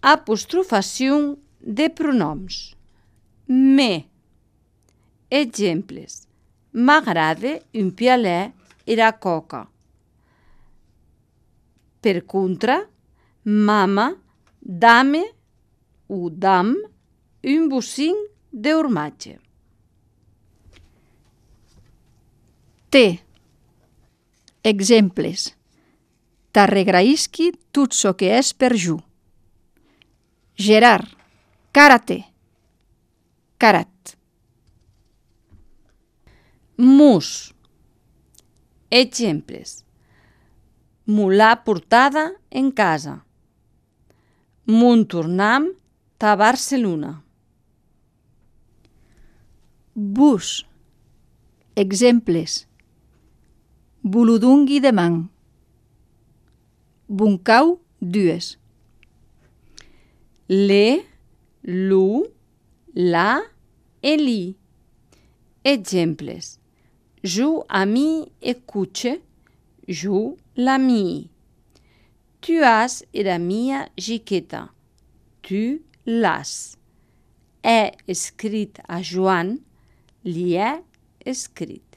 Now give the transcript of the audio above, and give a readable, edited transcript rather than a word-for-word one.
Apostrofació de pronoms. Me. Exemples. M'agrada un pialet era coca. Per contra, mama, dame o dam un bocin de formatge. T. Exemples. T'arregraïsqui tot çò que és per jo. Gerard, karate. Karat. Mus. Exemples. M'ha portada en casa. Mon tornam ta Barcelona. Bus. Exemples. Boludungui de man. Buncau, dues. Le, lu, la e li. Exemples. Jo ami escuche, jo la mi. Tu has era mia jiqueta. Tu l'has. He escrit a Joan, li he escrit.